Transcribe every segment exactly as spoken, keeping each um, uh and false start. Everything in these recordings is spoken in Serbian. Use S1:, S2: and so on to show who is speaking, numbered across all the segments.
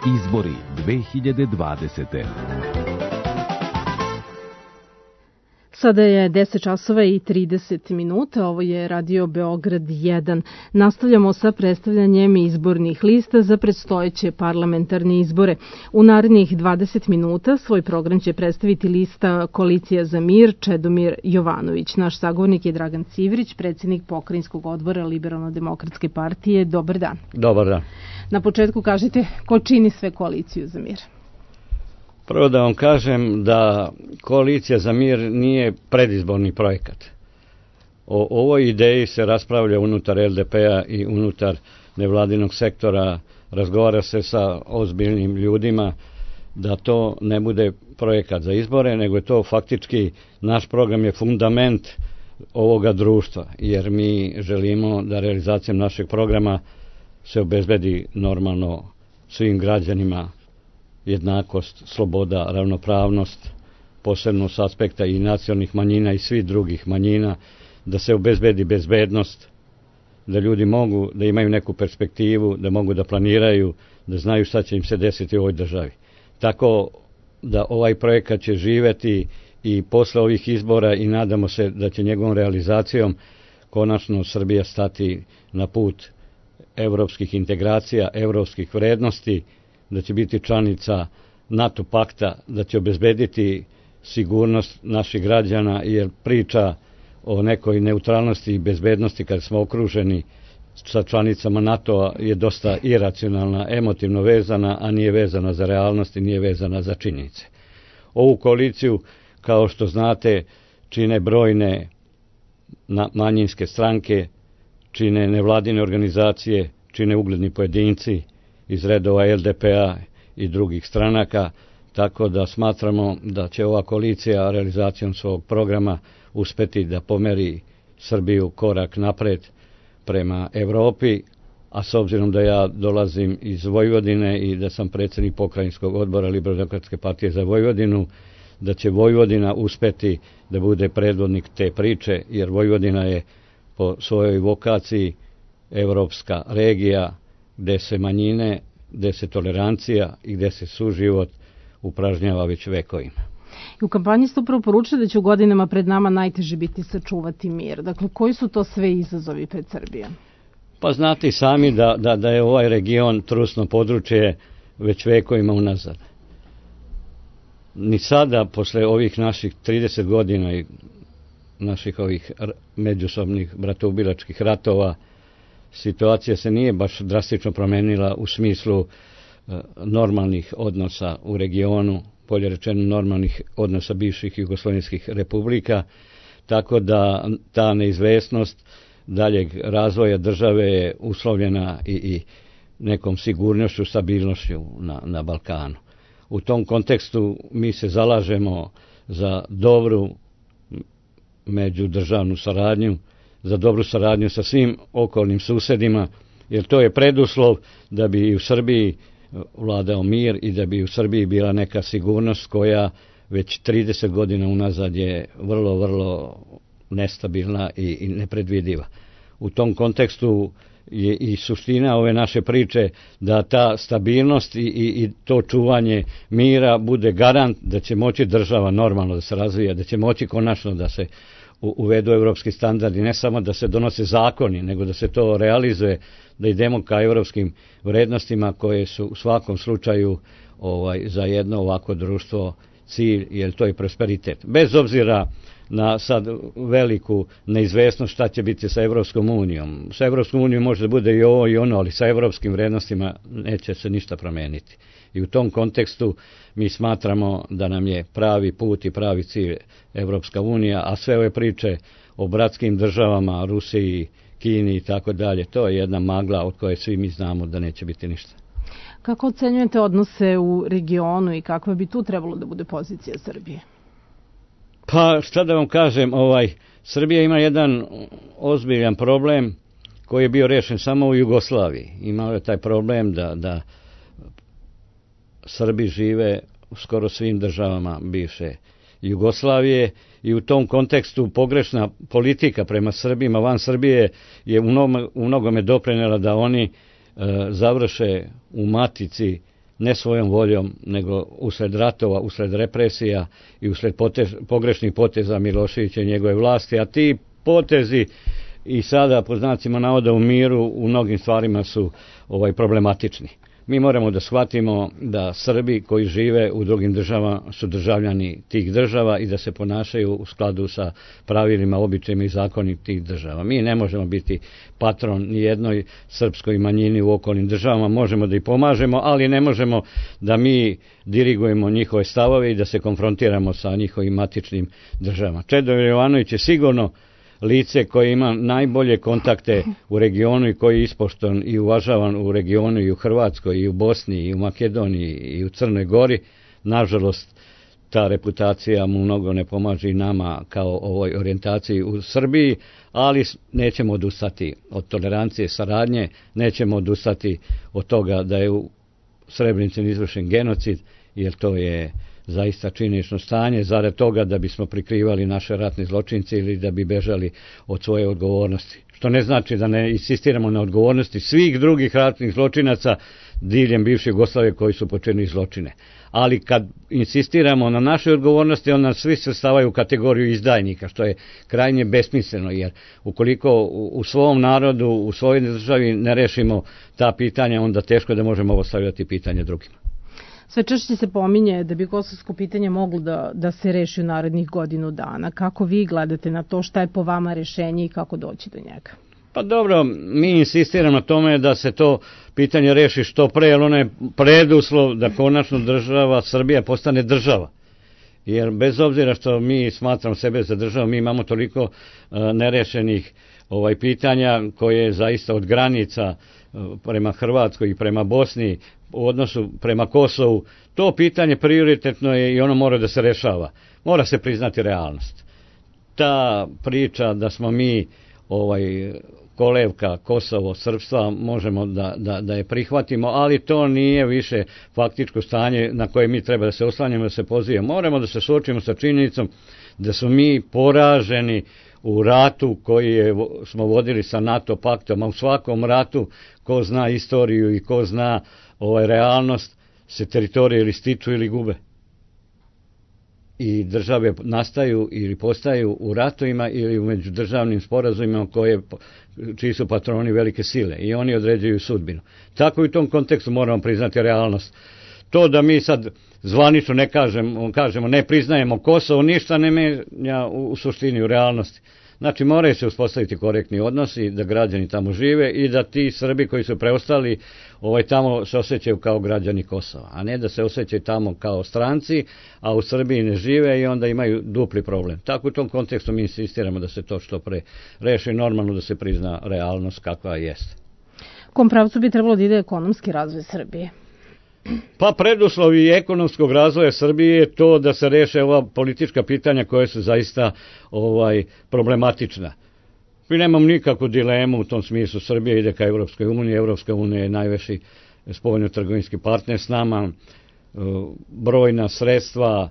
S1: Izbori dve hiljade dvadesete.
S2: Sada je deset časova i trideset minuta, ovo je Radio Beograd jedan. Nastavljamo sa predstavljanjem izbornih lista za predstojeće parlamentarne izbore. U narednih dvadeset minuta svoj program će predstaviti lista Koalicija za mir Čedomir Jovanović. Naš sagovornik je Dragan Civrić, predsjednik pokrajinskog odbora Liberalno-demokratske partije. Dobar dan.
S3: Dobar dan.
S2: Na početku kažite ko čini sve Koaliciju za mir?
S3: Prvo da vam kažem da Koalicija za mir nije predizborni projekat. O ovoj ideji se raspravlja unutar el de pe-a i unutar nevladinog sektora, razgovara se sa ozbiljnim ljudima da to ne bude projekat za izbore, nego je to faktički, naš program je fundament ovoga društva, jer mi želimo da realizacijom našeg programa se obezbedi normalno svim građanima jednakost, sloboda, ravnopravnost, posebno s aspekta i nacionalnih manjina i svih drugih manjina, da se obezbedi bezbednost, da ljudi mogu da imaju neku perspektivu, da mogu da planiraju, da znaju šta će im se desiti u ovoj državi. Tako da ovaj projekat će živeti i posle ovih izbora i nadamo se da će njegovom realizacijom konačno Srbija stati na put evropskih integracija, evropskih vrednosti, da će biti članica NATO pakta, da će obezbediti sigurnost naših građana, jer priča o nekoj neutralnosti i bezbednosti kad smo okruženi sa članicama NATO-a je dosta iracionalna, emotivno vezana, a nije vezana za realnost i nije vezana za činjenice. Ovu koaliciju, kao što znate, čine brojne manjinske stranke, čine nevladine organizacije, čine ugledni pojedinci iz redova el de pe-a i drugih stranaka, tako da smatramo da će ova koalicija realizacijom svog programa uspeti da pomeri Srbiju korak napred prema Evropi, a s obzirom da ja dolazim iz Vojvodine i da sam predsjednik pokrajinskog odbora Liberalno-demokratske partije za Vojvodinu, da će Vojvodina uspeti da bude predvodnik te priče, jer Vojvodina je po svojoj vokaciji evropska regija, gde se manjine, gde se tolerancija i gde se suživot upražnjava već vekovima.
S2: I u kampanji ste upravo poručili da će u godinama pred nama najteže biti sačuvati mir. Dakle, koji su to sve izazovi pred Srbijom?
S3: Pa znate i sami da, da, da je ovaj region trusno područje već vekovima unazad. Ni sada, posle ovih naših trideset godina i naših ovih međusobnih bratoubilačkih ratova, situacija se nije baš drastično promenila u smislu normalnih odnosa u regionu, bolje rečeno normalnih odnosa bivših jugoslovenskih republika, tako da ta neizvesnost daljeg razvoja države je uslovljena i, i nekom sigurnošću, stabilnošću na, na Balkanu. U tom kontekstu mi se zalažemo za dobru međudržavnu saradnju, za dobru saradnju sa svim okolnim susedima, jer to je preduslov da bi i u Srbiji vladao mir i da bi u Srbiji bila neka sigurnost koja već trideset godina unazad je vrlo, vrlo nestabilna i, i nepredvidiva. U tom kontekstu je i suština ove naše priče da ta stabilnost i, i, i to čuvanje mira bude garant da će moći država normalno da se razvija, da će moći konačno da se uvedu evropski standardi, ne samo da se donose zakoni, nego da se to realizuje, da idemo ka evropskim vrednostima koje su u svakom slučaju ovaj, za jedno ovako društvo cilj, jer to je prosperitet. Bez obzira na sad veliku neizvesnost šta će biti sa Evropskom unijom. Sa Evropskom unijom može da bude i ovo i ono, ali sa evropskim vrednostima neće se ništa promeniti. I u tom kontekstu mi smatramo da nam je pravi put i pravi cilj Evropska unija, a sve ove priče o bratskim državama, Rusiji, Kini i tako dalje, to je jedna magla od koje svi mi znamo da neće biti ništa.
S2: Kako ocenjujete odnose u regionu i kakva bi tu trebalo da bude pozicija Srbije?
S3: Pa šta da vam kažem, ovaj, Srbija ima jedan ozbiljan problem koji je bio rešen samo u Jugoslaviji. Imao je taj problem da, da Srbi žive u skoro svim državama bivše Jugoslavije i u tom kontekstu pogrešna politika prema Srbima van Srbije je u, mnogo, u mnogome doprinela da oni e, završe u matici ne svojom voljom, nego usled ratova, usled represija i usled potez, pogrešnih poteza Miloševića i njegove vlasti, a ti potezi i sada po znacima navoda u miru u mnogim stvarima su ovaj problematični. Mi moramo da shvatimo da Srbi koji žive u drugim državama su državljani tih država i da se ponašaju u skladu sa pravilima, običajima i zakoni tih država. Mi ne možemo biti patron ni jednoj srpskoj manjini u okolnim državama, možemo da ih pomažemo, ali ne možemo da mi dirigujemo njihove stavove i da se konfrontiramo sa njihovim matičnim državama. Čedomir Jovanović je sigurno lice koje ima najbolje kontakte u regionu i koji je ispoštovan i uvažavan u regionu i u Hrvatskoj i u Bosni i u Makedoniji i u Crnoj Gori. Nažalost, ta reputacija mu mnogo ne pomaže i nama kao ovoj orijentaciji u Srbiji, ali nećemo odustati od tolerancije, saradnje, nećemo odustati od toga da je u Srebrenici izvršen genocid, jer to je zaista činjenično stanje, zarad toga da bismo prikrivali naše ratne zločince ili da bi bežali od svoje odgovornosti. Što ne znači da ne insistiramo na odgovornosti svih drugih ratnih zločinaca diljem bivše Jugoslavije koji su počinili zločine. Ali kad insistiramo na našoj odgovornosti, onda svi se stavaju u kategoriju izdajnika, što je krajnje besmisleno, jer ukoliko u svom narodu, u svojoj državi ne rešimo ta pitanja, onda teško da možemo ostavljati pitanje drugima.
S2: Sve češće se pominje da bi kosovsko pitanje moglo da, da se reši u narednih godinu dana. Kako vi gledate na to, šta je po vama rešenje i kako doći do njega?
S3: Pa dobro, mi insistiramo na tome da se to pitanje reši što pre, jer ono je preduslov da konačno država Srbija postane država. Jer bez obzira što mi smatramo sebe za državu, mi imamo toliko uh, nerešenih ovaj pitanja koje je zaista od granica uh, prema Hrvatskoj i prema Bosni, u odnosu prema Kosovu, to pitanje prioritetno je i ono mora da se rešava. Mora se priznati realnost. Ta priča da smo mi ovaj kolevka Kosovo, srpstva, možemo da, da, da je prihvatimo, ali to nije više faktičko stanje na koje mi treba da se oslanjamo, da se pozivamo. Moramo da se suočimo sa činjenicom da smo mi poraženi u ratu koji je, smo vodili sa NATO paktom, a u svakom ratu ko zna istoriju i ko zna ovaj realnost, se teritorije ili stiču ili gube. I države nastaju ili postaju u ratovima ili u međudržavnim sporazumima koje, čiji su patroni velike sile i oni određuju sudbinu. Tako i u tom kontekstu moramo priznati realnost. To da mi sad zvanično ne kažemo, kažemo ne priznajemo Kosovo, ništa ne menja u, u suštini, u realnosti. Znači moraju se uspostaviti korektni odnosi, da građani tamo žive i da ti Srbi koji su preostali ovaj, tamo se osjećaju kao građani Kosova, a ne da se osjećaju tamo kao stranci, a u Srbiji ne žive i onda imaju dupli problem. Tako u tom kontekstu mi insistiramo da se to što pre reši, normalno da se prizna realnost kakva jeste.
S2: U kom pravcu bi trebalo da ide ekonomski razvoj Srbije?
S3: Pa preduslovi ekonomskog razvoja Srbije je to da se reše ova politička pitanja koje su zaista ovaj problematična. Mi nemamo nikakvu dilemu u tom smislu. Srbija ide ka Evropskoj uniji, Evropska unija je najveći spoljno-trgovinski partner s nama, brojna sredstva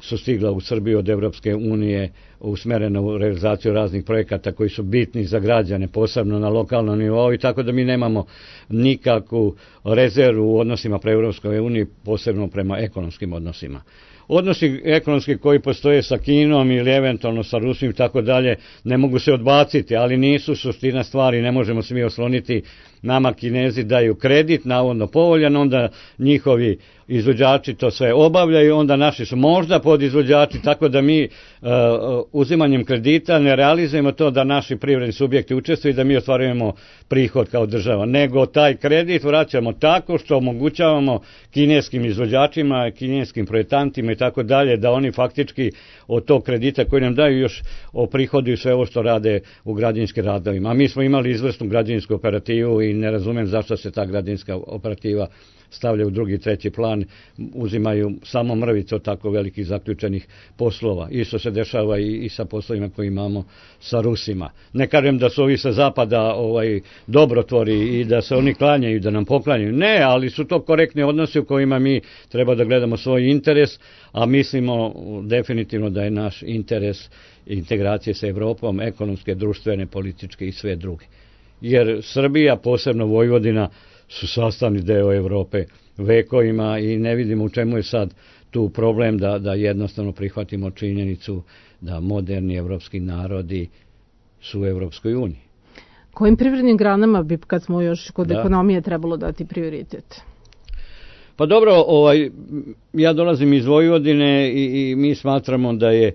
S3: su stigla u Srbiju od Evropske unije usmerena u realizaciju raznih projekata koji su bitni za građane, posebno na lokalnom nivou, i tako da mi nemamo nikakvu rezervu u odnosima pre Evropskoj uniji, posebno prema ekonomskim odnosima. Odnosi ekonomski koji postoje sa Kinom ili eventualno sa Rusijom i tako dalje ne mogu se odbaciti, ali nisu suština stvari, ne možemo se mi osloniti. Nama Kinezi daju kredit, navodno povoljan, onda njihovi izvođači to sve obavljaju, onda naši su možda podizvođači, tako da mi uh, uzimanjem kredita ne realizujemo to da naši privredni subjekti učestvuju i da mi ostvarujemo prihod kao država, nego taj kredit vraćamo tako što omogućavamo kineskim izvođačima, kineskim projektantima i tako dalje, da oni faktički od tog kredita koji nam daju još oprihoduju sve ovo što rade u građevinskim radovima. A mi smo imali izvrsnu građevinsku operativu i ne razumem zašto se ta građevinska operativa stavlja u drugi, treći plan, uzimaju samo mrvice od tako velikih zaključenih poslova. Isto se dešava i, i sa poslovima koje imamo sa Rusima. Ne kažem da su ovi sa zapada ovaj, dobrotvori i da se oni klanjaju i da nam poklanjaju. Ne, ali su to korektni odnosi u kojima mi treba da gledamo svoj interes, a mislimo definitivno da je naš interes integracije sa Evropom, ekonomske, društvene, političke i sve druge. Jer Srbija, posebno Vojvodina, su sastavni deo Evrope vekovima i ne vidimo u čemu je sad tu problem da, da jednostavno prihvatimo činjenicu da moderni evropski narodi su u Evropskoj uniji.
S2: Kojim privrednim granama bi, kad smo još kod
S3: da.
S2: ekonomije, trebalo dati prioritet?
S3: Pa dobro, ovaj, ja dolazim iz Vojvodine i, i mi smatramo da je e,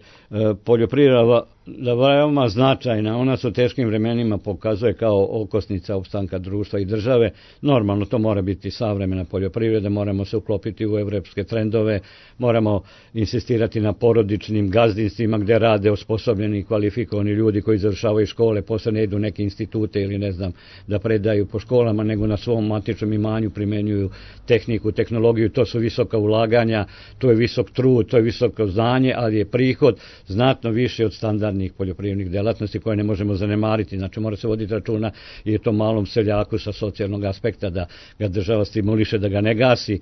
S3: poljoprivreda da veoma značajna. Ona se u teškim vremenima pokazuje kao okosnica opstanka društva i države. Normalno to mora biti savremena poljoprivreda, moramo se uklopiti u evropske trendove, moramo insistirati na porodičnim gazdinstvima gdje rade osposobljeni i kvalifikovani ljudi koji završavaju škole, posle ne idu neke institute ili ne znam da predaju po školama, nego na svom matičnom imanju primenjuju tehniku, tehnologiju. To su visoka ulaganja, to je visok trud, to je visoko znanje, ali je prihod znatno više od standardnih poljoprivrednih delatnosti koje ne možemo zanemariti. Znači mora se voditi računa i je to malom seljaku sa socijalnog aspekta da ga država stimuliše, da ga ne gasi.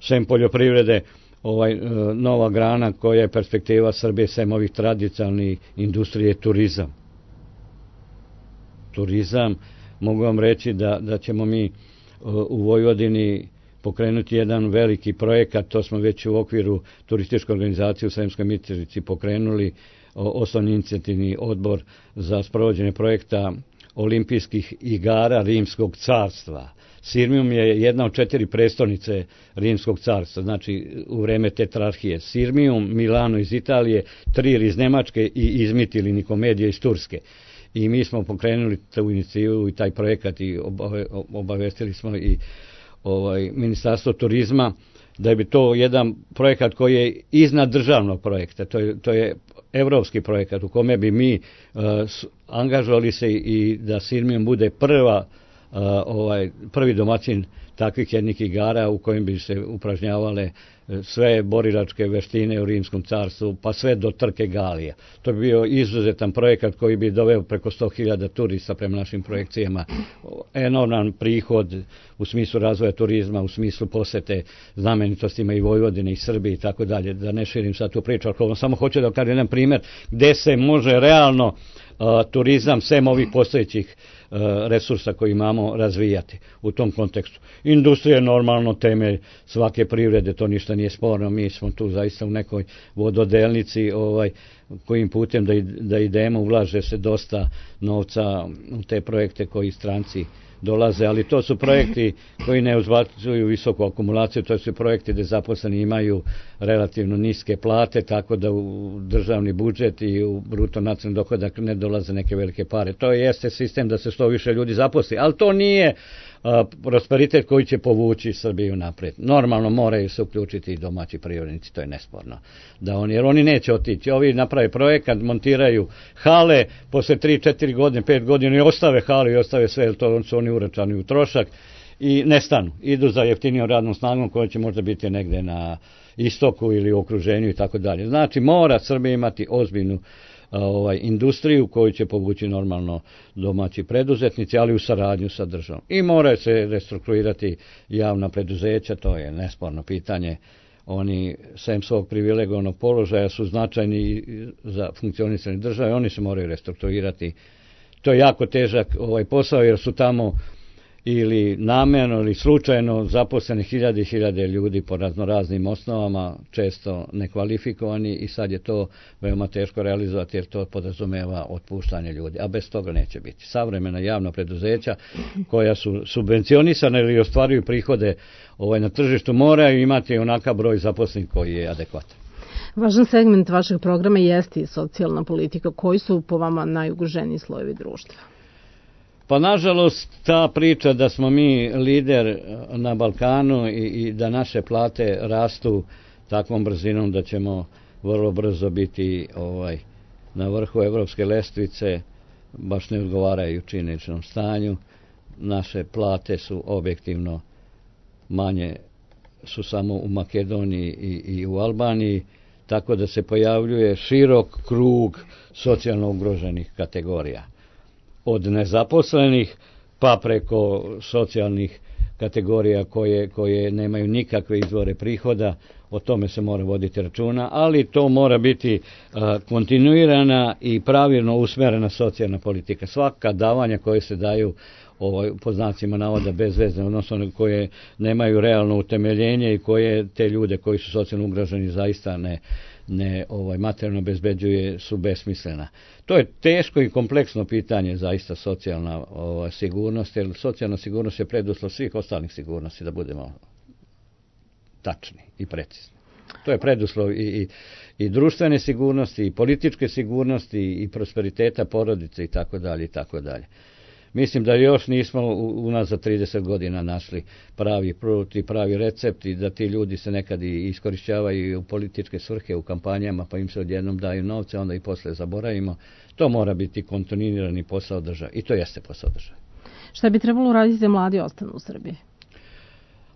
S3: Sem poljoprivrede, ovaj, nova grana koja je perspektiva Srbije, sem ovih tradicionalnih industrije, turizam. Turizam, mogu vam reći da, da ćemo mi u Vojvodini pokrenuti jedan veliki projekat, to smo već u okviru turističke organizacije u Sremskoj Mitrovici pokrenuli, osnovni inicijativni odbor za sprovođenje projekta olimpijskih igara Rimskog carstva. Sirmium je jedna od četiri prestolnice Rimskog carstva, znači u vreme tetrarhije. Sirmium, Milano iz Italije, Trir iz Nemačke i Izmit ili Nikomedija iz Turske. I mi smo pokrenuli tu inicijativu i taj projekat i obavestili smo i ovaj, Ministarstvo turizma da bi to jedan projekat koji je iznad državnog projekta, to je, to je evropski projekat u kome bi mi uh, angažovali se i da Sirmium bude prva, uh, ovaj, prvi domaćin takvih jednih igara u kojim bi se upražnjavale sve borilačke veštine u Rimskom carstvu, pa sve do trke Galija. To bi bio izuzetan projekat koji bi doveo preko sto hiljada turista prema našim projekcijama. Enorman prihod u smislu razvoja turizma, u smislu posete znamenitostima i Vojvodine i Srbije i tako dalje. Da ne širim sad tu priču, ali samo hoću da kažem jedan primjer gde se može realno uh, turizam, sem ovih postojećih uh, resursa koji imamo, razvijati u tom kontekstu. Industrija je normalno temelj svake privrede, to ništa nije sporno, mi smo tu zaista u nekoj vododelnici ovaj, kojim putem da, da idemo, ulaže se dosta novca u te projekte koji stranci dolaze, ali to su projekti koji ne uzbacuju visoku akumulaciju, to su projekti gdje zaposleni imaju relativno niske plate, tako da u državni budžet i u bruto nacionalni dohodak ne dolaze neke velike pare. To jeste sistem da se što više ljudi zaposli, ali to nije a, prosperitet koji će povući Srbiju napred. Normalno moraju se uključiti i domaći privrednici, to je nesporno. Da oni, jer oni neće otići. Ovi naprave projekat, montiraju hale, posle tri četiri godine, pet godina i ostave hale i ostave sve, jer to su oni uračani u trošak i nestanu. Idu za jeftinijom radnom snagom koja će možda biti negde na istoku ili u okruženju i tako dalje. Znači mora Srbija imati ozbiljnu ovaj, industriju koju će povući normalno domaći preduzetnici, ali u saradnju sa državom. I mora se restrukturirati javna preduzeća, to je nesporno pitanje. Oni, sem svog privilegovanog položaja, su značajni za funkcionisanje države, oni se moraju restrukturirati. To je jako težak ovaj posao jer su tamo ili namjerno ili slučajno zaposleni hiljade i hiljade ljudi po raznoraznim osnovama, često nekvalifikovani i sad je to veoma teško realizovati jer to podrazumeva otpuštanje ljudi, a bez toga neće biti. Savremena javna preduzeća koja su subvencionisana ili ostvaruju prihode ovaj, na tržištu moraju imati onakav broj zaposlenih koji je adekvatan.
S2: Važan segment vašeg programa jeste i socijalna politika. Koji su po vama najugroženiji slojevi društva?
S3: Pa nažalost ta priča da smo mi lider na Balkanu i, i da naše plate rastu takvom brzinom da ćemo vrlo brzo biti ovaj, na vrhu evropske lestvice, baš ne odgovaraju činjeničnom stanju. Naše plate su objektivno manje, su samo u Makedoniji i, i u Albaniji, tako da se pojavljuje širok krug socijalno ugroženih kategorija. Od nezaposlenih pa preko socijalnih kategorija koje, koje nemaju nikakve izvore prihoda, o tome se mora voditi računa, ali to mora biti a, kontinuirana i pravilno usmjerena socijalna politika. Svaka davanja koje se daju ovaj, po znacima navoda bezvezne, odnosno koje nemaju realno utemeljenje i koje te ljude koji su socijalno ugroženi zaista ne, ne ovaj, materijalno obezbeđuje, su besmislena. To je teško i kompleksno pitanje, zaista socijalna ovaj, sigurnost, jer socijalna sigurnost je preduslov svih ostalih sigurnosti, da budemo tačni i precizni. To je preduslov i, i, i društvene sigurnosti, i političke sigurnosti, i prosperiteta porodice i tako dalje i tako dalje. Mislim da još nismo u, u nas za trideset godina našli pravi prut i pravi recept i da ti ljudi se nekad i iskorišćavaju u političke svrhe u kampanjama, pa im se odjednom daju novce, onda i posle zaboravimo. To mora biti kontinuirani posao države i to jeste posao države.
S2: Šta bi trebalo raditi da mladi ostanu u Srbiji?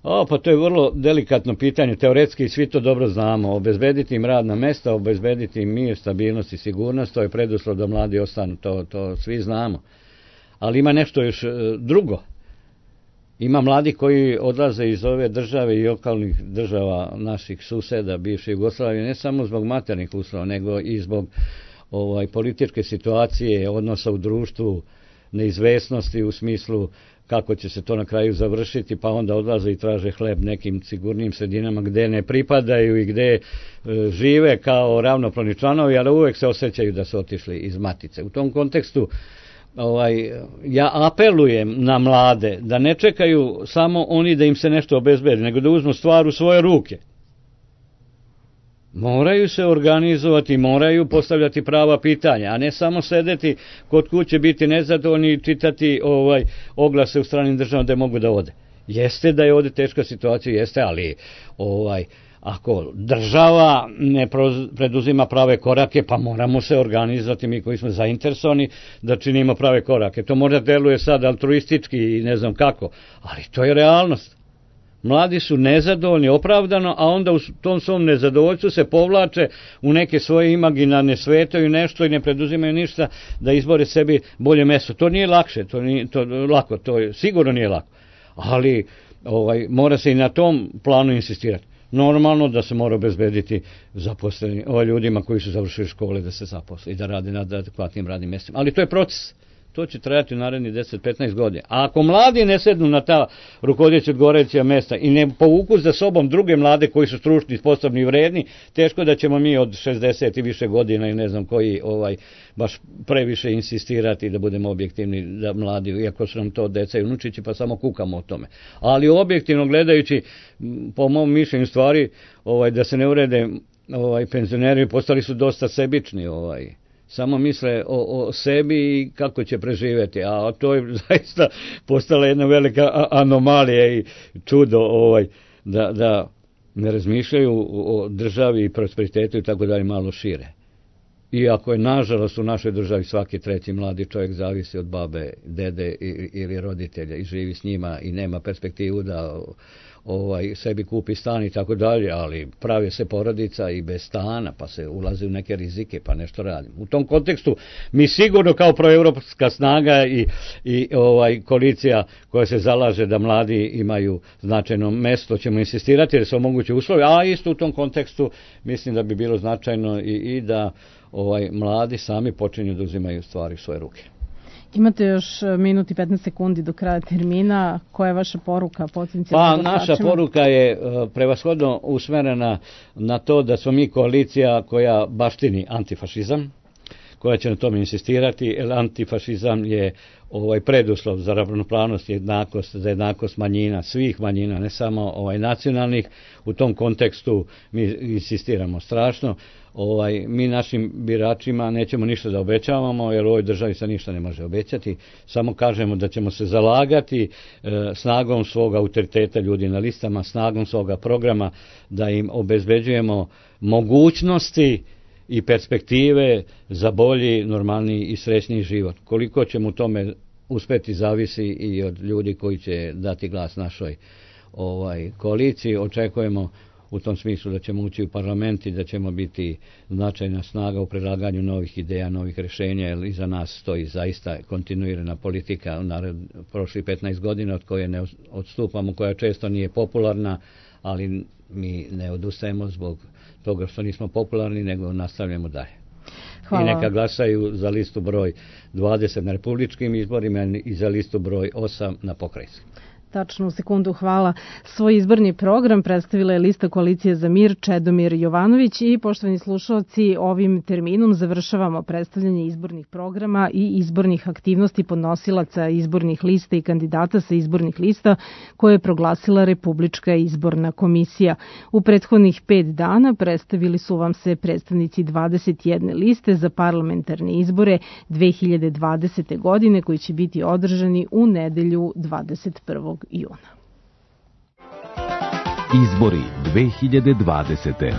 S3: O, pa to je vrlo delikatno pitanje, teoretski svi to dobro znamo, obezbediti im radna mesta, obezbediti im mir, stabilnost i sigurnost, to je preduslov da mladi ostanu, to, to svi znamo. Ali ima nešto još drugo. Ima mladi koji odlaze iz ove države i okolnih država naših suseda, bivše Jugoslavije, ne samo zbog materijalnih uslova, nego i zbog ovaj, političke situacije, odnosa u društvu, neizvesnosti u smislu kako će se to na kraju završiti, pa onda odlaze i traže hleb nekim sigurnim sredinama gde ne pripadaju i gde e, žive kao ravnopravni članovi, ali uvek se osjećaju da su otišli iz matice. U tom kontekstu ovaj, ja apelujem na mlade da ne čekaju samo oni da im se nešto obezbedi, nego da uzmu stvar u svoje ruke. Moraju se organizovati, moraju postavljati prava pitanja, a ne samo sedeti kod kuće, biti nezadovoljni i čitati ovaj, oglase u stranim državama da mogu da ode. Jeste da je ovdje teška situacija, jeste, ali ovaj, ako država ne preduzima prave korake, pa moramo se organizovati mi koji smo zainteresovani da činimo prave korake. To možda deluje sad altruistički i ne znam kako, ali to je realnost. Mladi su nezadovoljni, opravdano, a onda u tom svom nezadovoljstvu se povlače u neke svoje imaginarne svete i nešto i ne preduzimaju ništa da izbore sebi bolje mesto. To nije lakše, to nije to lako, to je, sigurno nije lako, ali ovaj, mora se i na tom planu insistirati. Normalno da se mora obezbediti zaposleni, ovaj, ljudima koji su završili škole da se zaposle i da rade na adekvatnim radnim mjestima. Ali to je proces. To će trajati u narednih deset do petnaest godina. A ako mladi ne sednu na ta rukovodeća odgovarajuća mesta i ne povuku za sobom druge mlade koji su stručni, sposobni i vredni, teško da ćemo mi od šezdeset i više godina i ne znam koji ovaj baš previše insistirati da budemo objektivni da mladi, iako su nam to deca i unučići, pa samo kukamo o tome. Ali objektivno gledajući, po mom mišljenju stvari, ovaj da se ne urede, ovaj penzioneri postali su dosta sebični, ovaj samo misle o, o sebi i kako će preživjeti, a to je zaista postala jedna velika anomalija i čudo ovaj, da, da ne razmišljaju o državi i prosperitetu i tako dalje malo šire. Iako je nažalost u našoj državi svaki treći mladi čovjek zavisi od babe, dede ili roditelja i živi s njima i nema perspektivu da ovaj sebi kupi stan i tako dalje, ali pravi se porodica i bez stana, pa se ulazi u neke rizike, pa nešto radi. U tom kontekstu mi sigurno kao proevropska snaga i, i ovaj koalicija koja se zalaže da mladi imaju značajno mesto, ćemo insistirati jer se omoguće uslovi, a isto u tom kontekstu mislim da bi bilo značajno i, i da ovaj mladi sami počinju da uzimaju stvari u svoje ruke.
S2: Imate još minut i petnaest sekundi do kraja termina. Koja je vaša poruka potencijalnim
S3: Pa naša poruka je uh, prevashodno usmerena na to da smo mi koalicija koja baštini antifašizam, koja će na tome insistirati, jer antifašizam je ovaj preduslov za ravnopravnost i jednakost, za jednakost manjina, svih manjina, ne samo ovaj nacionalnih. U tom kontekstu mi insistiramo strašno. Ovaj, mi našim biračima nećemo ništa da obećavamo, jer u ovoj državi se ništa ne može obećati. Samo kažemo da ćemo se zalagati e, snagom svog autoriteta ljudi na listama, snagom svoga programa, da im obezbeđujemo mogućnosti i perspektive za bolji, normalniji i srećniji život. Koliko ćemo u tome uspeti zavisi i od ljudi koji će dati glas našoj ovaj koaliciji. Očekujemo u tom smislu da ćemo ući u parlament i da ćemo biti značajna snaga u predlaganju novih ideja, novih rješenja, jer iza nas stoji zaista kontinuirana politika u prošlih petnaest godina od koje ne odstupamo, koja često nije popularna, ali mi ne odustajemo zbog toga što nismo popularni, nego nastavljamo dalje.
S2: Hvala.
S3: I neka glasaju za listu broj dvadeset na republičkim izborima i za listu broj osam na pokrajinskim.
S2: Tačno, u sekundu, hvala. Svoj izborni program predstavila je lista Koalicije za mir Čedomir Jovanović i, poštovani slušalci, ovim terminom završavamo predstavljanje izbornih programa i izbornih aktivnosti podnosilaca izbornih lista i kandidata sa izbornih lista koje je proglasila Republička izborna komisija. U prethodnih pet dana predstavili su vam se predstavnici dvadeset jedne liste za parlamentarne izbore dve hiljade dvadesete. godine koji će biti održani u nedelju dvadeset prvog juna.
S1: Izbori dve hiljade dvadesete.